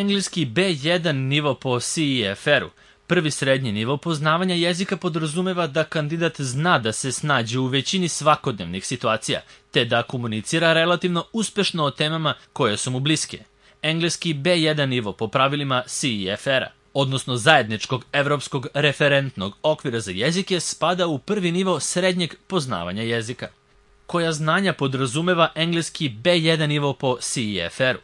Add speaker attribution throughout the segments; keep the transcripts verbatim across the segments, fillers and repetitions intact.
Speaker 1: Engleski be jedan nivo po C E F R-u. Prvi srednji nivo poznavanja jezika podrazumeva da kandidat zna da se snađe u većini svakodnevnih situacija, te da komunicira relativno uspešno o temama koje su mu bliske. Engleski be jedan nivo po pravilima C E F R-a, odnosno zajedničkog evropskog referentnog okvira za jezike, spada u prvi nivo srednjeg poznavanja jezika. Koja znanja podrazumeva engleski be jedan nivo po C E F R-u?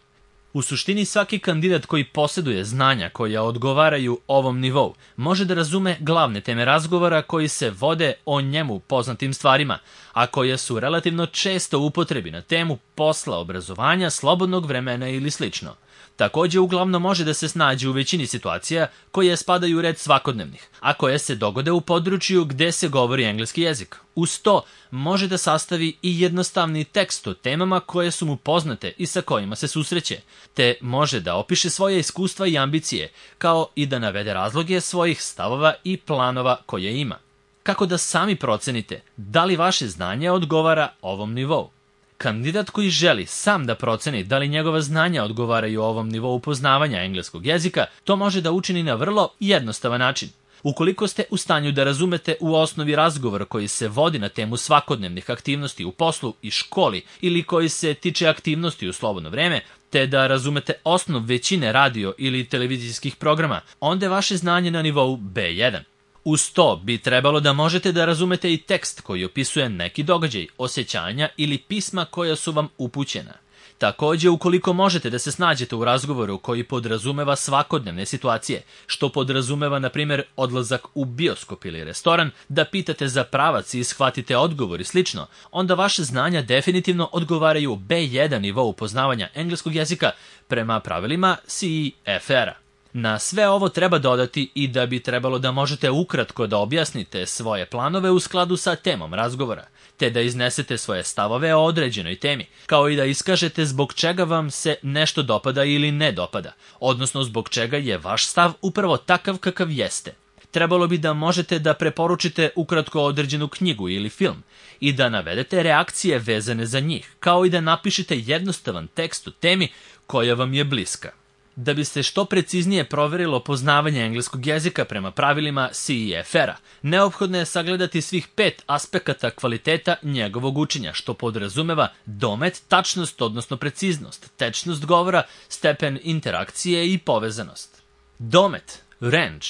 Speaker 1: U suštini svaki kandidat koji posjeduje znanja koja odgovaraju ovom nivou može da razume glavne teme razgovora koji se vode o njemu poznatim stvarima, a koje su relativno često u upotrebi na temu posla, obrazovanja, slobodnog vremena ili slično. Takođe, uglavnom može da se snađe u većini situacija koje spadaju u red svakodnevnih, a koje se dogode u području gde se govori engleski jezik. Uz to, može da sastavi i jednostavni tekst o temama koje su mu poznate i sa kojima se susreće, te može da opiše svoje iskustva i ambicije, kao i da navede razloge svojih stavova i planova koje ima. Kako da sami procenite da li vaše znanje odgovara ovom nivou? Kandidat koji želi sam da proceni da li njegova znanja odgovaraju ovom nivou poznavanja engleskog jezika, to može da učini na vrlo jednostavan način. Ukoliko ste u stanju da razumete u osnovi razgovor koji se vodi na temu svakodnevnih aktivnosti u poslu i školi ili koji se tiče aktivnosti u slobodno vreme, te da razumete osnov većine radio ili televizijskih programa, onda je vaše znanje na nivou be jedan. Uz to bi trebalo da možete da razumete i tekst koji opisuje neki događaj, osjećanja ili pisma koja su vam upućena. Takođe, ukoliko možete da se snađete u razgovoru koji podrazumeva svakodnevne situacije, što podrazumeva, na primjer, odlazak u bioskop ili restoran, da pitate za pravac i shvatite odgovor i slično, onda vaše znanja definitivno odgovaraju be jedan nivou poznavanja engleskog jezika prema pravilima C E F R-a. Na sve ovo treba dodati i da bi trebalo da možete ukratko da objasnite svoje planove u skladu sa temom razgovora, te da iznesete svoje stavove o određenoj temi, kao i da iskažete zbog čega vam se nešto dopada ili ne dopada, odnosno zbog čega je vaš stav upravo takav kakav jeste. Trebalo bi da možete da preporučite ukratko određenu knjigu ili film i da navedete reakcije vezane za njih, kao i da napišete jednostavan tekst o temi koja vam je bliska. Da bi se što preciznije proverilo poznavanje engleskog jezika prema pravilima C E F R-a, neophodno je sagledati svih pet aspekata kvaliteta njegovog učenja, što podrazumeva domet, tačnost, odnosno preciznost, tečnost govora, stepen interakcije i povezanost. Domet, range.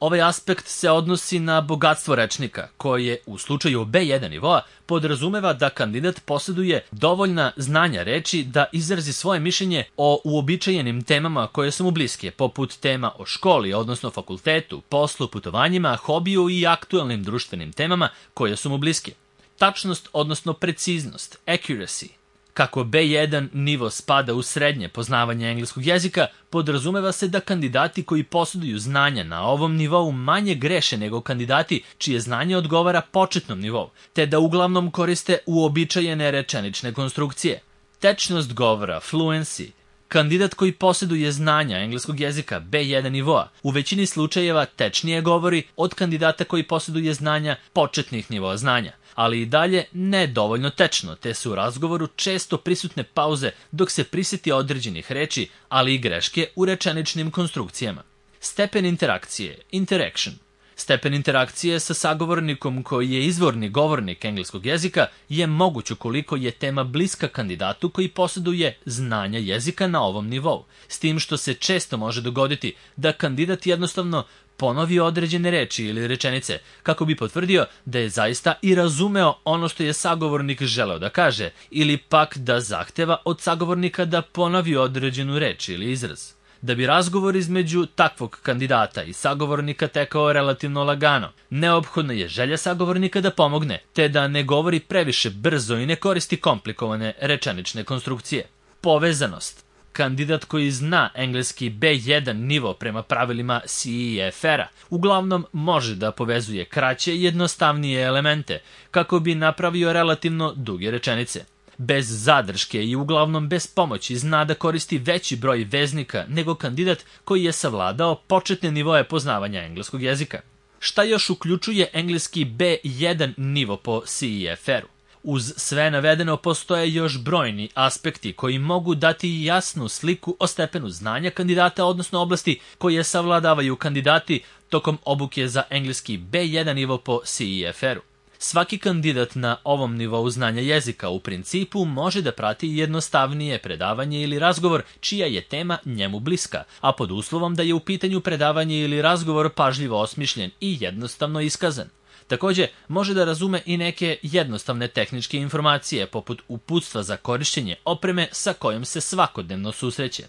Speaker 1: Ovaj aspekt se odnosi na bogatstvo rečnika, koje u slučaju be jedan nivoa podrazumeva da kandidat posjeduje dovoljna znanja reči da izrazi svoje mišljenje o uobičajenim temama koje su mu bliske, poput tema o školi, odnosno fakultetu, poslu, putovanjima, hobiju i aktuelnim društvenim temama koje su mu bliske. Tačnost, odnosno preciznost, accuracy. Kako be jedan nivo spada u srednje poznavanje engleskog jezika, podrazumeva se da kandidati koji posjeduju znanja na ovom nivou manje greše nego kandidati čije znanje odgovara početnom nivou, te da uglavnom koriste uobičajene rečenične konstrukcije. Tečnost govora, fluency. Kandidat koji posjeduje znanja engleskog jezika be jedan nivoa u većini slučajeva tečnije govori od kandidata koji posjeduje znanja početnih nivoa znanja, ali i dalje ne dovoljno tečno, te su u razgovoru često prisutne pauze dok se prisjeti određenih reči, ali i greške u rečeničnim konstrukcijama. Stepen interakcije, interaction. Stepen interakcije sa sagovornikom koji je izvorni govornik engleskog jezika je moguć ukoliko je tema bliska kandidatu koji posjeduje znanja jezika na ovom nivou, s tim što se često može dogoditi da kandidat jednostavno ponovi određene reči ili rečenice kako bi potvrdio da je zaista i razumeo ono što je sagovornik želeo da kaže, ili pak da zahteva od sagovornika da ponovi određenu reč ili izraz. Da bi razgovor između takvog kandidata i sagovornika tekao relativno lagano, neophodno je želja sagovornika da pomogne, te da ne govori previše brzo i ne koristi komplikovane rečenične konstrukcije. Povezanost. Kandidat koji zna engleski be jedan nivo prema pravilima C E F R-a uglavnom može da povezuje kraće i jednostavnije elemente kako bi napravio relativno duge rečenice. Bez zadrške i uglavnom bez pomoći zna da koristi veći broj veznika nego kandidat koji je savladao početne nivoe poznavanja engleskog jezika. Šta još uključuje engleski be jedan nivo po C E F R-u? Uz sve navedeno postoje još brojni aspekti koji mogu dati jasnu sliku o stepenu znanja kandidata, odnosno oblasti koje savladavaju kandidati tokom obuke za engleski be jedan nivo po C E F R-u. Svaki kandidat na ovom nivou znanja jezika u principu može da prati jednostavnije predavanje ili razgovor čija je tema njemu bliska, a pod uslovom da je u pitanju predavanje ili razgovor pažljivo osmišljen i jednostavno iskazan. Takođe, može da razume i neke jednostavne tehničke informacije, poput uputstva za korišćenje opreme sa kojom se svakodnevno susreće.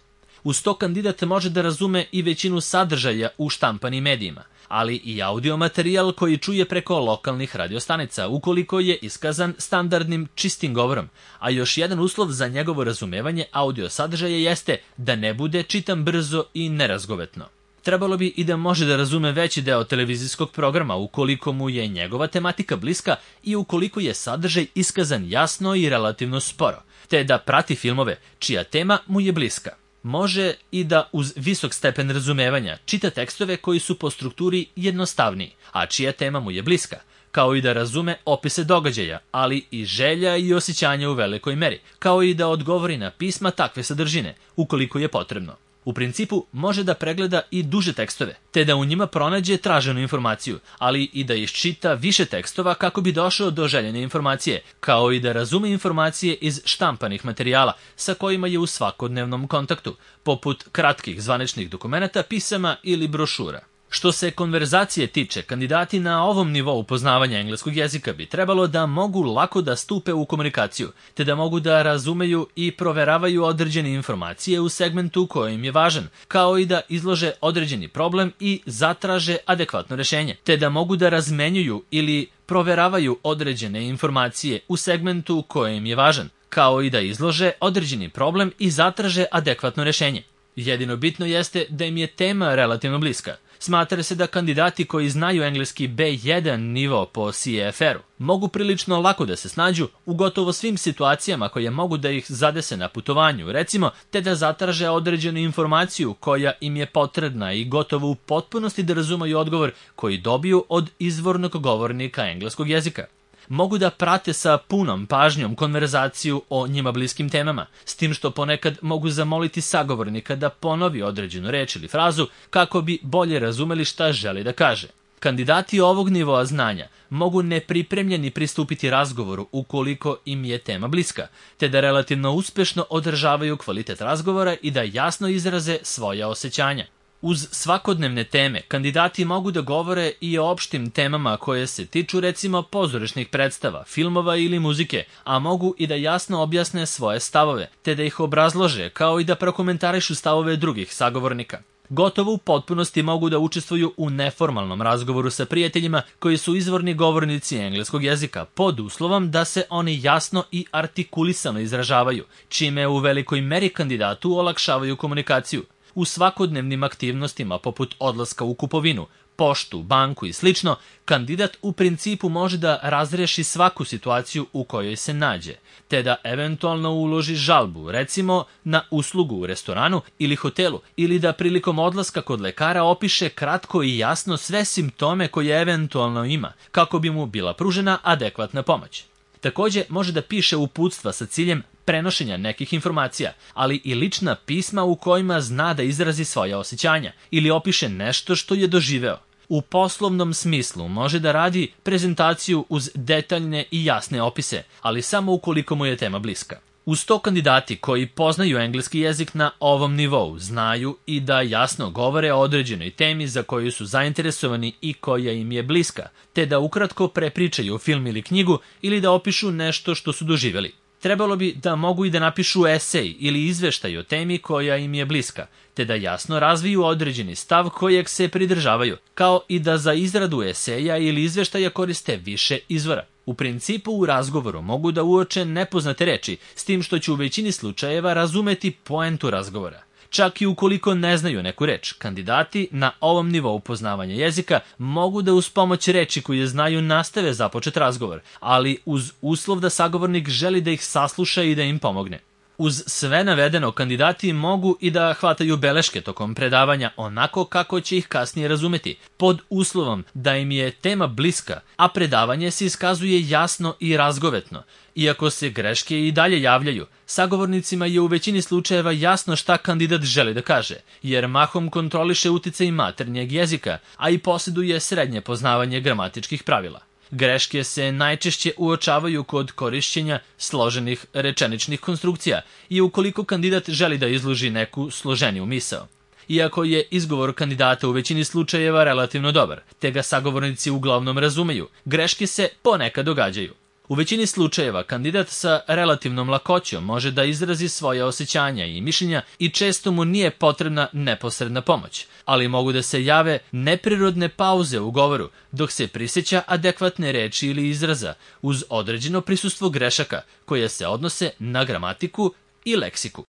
Speaker 1: Uz to kandidat može da razume i većinu sadržaja u štampanim medijima, ali i audio materijal koji čuje preko lokalnih radiostanica, ukoliko je iskazan standardnim čistim govorom, a još jedan uslov za njegovo razumevanje audio sadržaja jeste da ne bude čitan brzo i nerazgovetno. Trebalo bi i da može da razume veći deo televizijskog programa ukoliko mu je njegova tematika bliska i ukoliko je sadržaj iskazan jasno i relativno sporo, te da prati filmove čija tema mu je bliska. Može i da uz visok stepen razumevanja čita tekstove koji su po strukturi jednostavniji, a čija tema mu je bliska, kao i da razume opise događaja, ali i želja i osjećanja u velikoj meri, kao i da odgovori na pisma takve sadržine, ukoliko je potrebno. U principu može da pregleda i duže tekstove, te da u njima pronađe traženu informaciju, ali i da iščita više tekstova kako bi došao do željene informacije, kao i da razume informacije iz štampanih materijala sa kojima je u svakodnevnom kontaktu, poput kratkih zvaničnih dokumenata, pisama ili brošura. Što se konverzacije tiče, kandidati na ovom nivou poznavanja engleskog jezika bi trebalo da mogu lako da stupe u komunikaciju, te da mogu da razumeju i proveravaju određene informacije u segmentu koji im je važan, kao i da izlože određeni problem i zatraže adekvatno rešenje, te da mogu da razmenjuju ili proveravaju određene informacije u segmentu koji im je važan, kao i da izlože određeni problem i zatraže adekvatno rešenje. Jedino bitno jeste da im je tema relativno bliska. Smatra se da kandidati koji znaju engleski be jedan nivo po C E F R-u mogu prilično lako da se snađu u gotovo svim situacijama koje mogu da ih zadese na putovanju, recimo, te da zatraže određenu informaciju koja im je potrebna i gotovo u potpunosti da razumeju odgovor koji dobiju od izvornog govornika engleskog jezika. Mogu da prate sa punom pažnjom konverzaciju o njima bliskim temama, s tim što ponekad mogu zamoliti sagovornika da ponovi određenu reč ili frazu kako bi bolje razumeli šta želi da kaže. Kandidati ovog nivoa znanja mogu nepripremljeni pristupiti razgovoru ukoliko im je tema bliska, te da relativno uspešno održavaju kvalitet razgovora i da jasno izraze svoja osjećanja. Uz svakodnevne teme, kandidati mogu da govore i o opštim temama koje se tiču recimo pozorišnih predstava, filmova ili muzike, a mogu i da jasno objasne svoje stavove, te da ih obrazlože, kao i da prokomentarišu stavove drugih sagovornika. Gotovo u potpunosti mogu da učestvuju u neformalnom razgovoru sa prijateljima koji su izvorni govornici engleskog jezika, pod uslovom da se oni jasno i artikulisano izražavaju, čime u velikoj meri kandidatu olakšavaju komunikaciju. U svakodnevnim aktivnostima poput odlaska u kupovinu, poštu, banku i slično, kandidat u principu može da razreši svaku situaciju u kojoj se nađe, te da eventualno uloži žalbu, recimo na uslugu u restoranu ili hotelu, ili da prilikom odlaska kod lekara opiše kratko i jasno sve simptome koje eventualno ima, kako bi mu bila pružena adekvatna pomoć. Takođe, može da piše uputstva sa ciljem prenošenja nekih informacija, ali i lična pisma u kojima zna da izrazi svoja osjećanja ili opiše nešto što je doživeo. U poslovnom smislu može da radi prezentaciju uz detaljne i jasne opise, ali samo ukoliko mu je tema bliska. Uz to kandidati koji poznaju engleski jezik na ovom nivou znaju i da jasno govore o određenoj temi za koju su zainteresovani i koja im je bliska, te da ukratko prepričaju film ili knjigu ili da opišu nešto što su doživjeli. Trebalo bi da mogu i da napišu esej ili izveštaj o temi koja im je bliska, te da jasno razviju određeni stav kojeg se pridržavaju, kao i da za izradu eseja ili izveštaja koriste više izvora. U principu u razgovoru mogu da uoče nepoznate reči, s tim što će u većini slučajeva razumeti poentu razgovora. Čak i ukoliko ne znaju neku reč, kandidati na ovom nivou poznavanja jezika mogu da uz pomoć reči koje znaju nastave započet razgovor, ali uz uslov da sagovornik želi da ih sasluša i da im pomogne. Uz sve navedeno, kandidati mogu i da hvataju beleške tokom predavanja onako kako će ih kasnije razumeti, pod uslovom da im je tema bliska, a predavanje se iskazuje jasno i razgovetno. Iako se greške i dalje javljaju, sagovornicima je u većini slučajeva jasno šta kandidat želi da kaže, jer mahom kontroliše uticaj maternjeg jezika, a i posjeduje srednje poznavanje gramatičkih pravila. Greške se najčešće uočavaju kod korišćenja složenih rečeničnih konstrukcija i ukoliko kandidat želi da izloži neku složeniju misao. Iako je izgovor kandidata u većini slučajeva relativno dobar, te ga sagovornici uglavnom razumeju, greške se ponekad događaju. U većini slučajeva kandidat sa relativnom lakoćom može da izrazi svoje osjećanja i mišljenja i često mu nije potrebna neposredna pomoć, ali mogu da se jave neprirodne pauze u govoru dok se prisjeća adekvatne reči ili izraza uz određeno prisustvo grešaka koje se odnose na gramatiku i leksiku.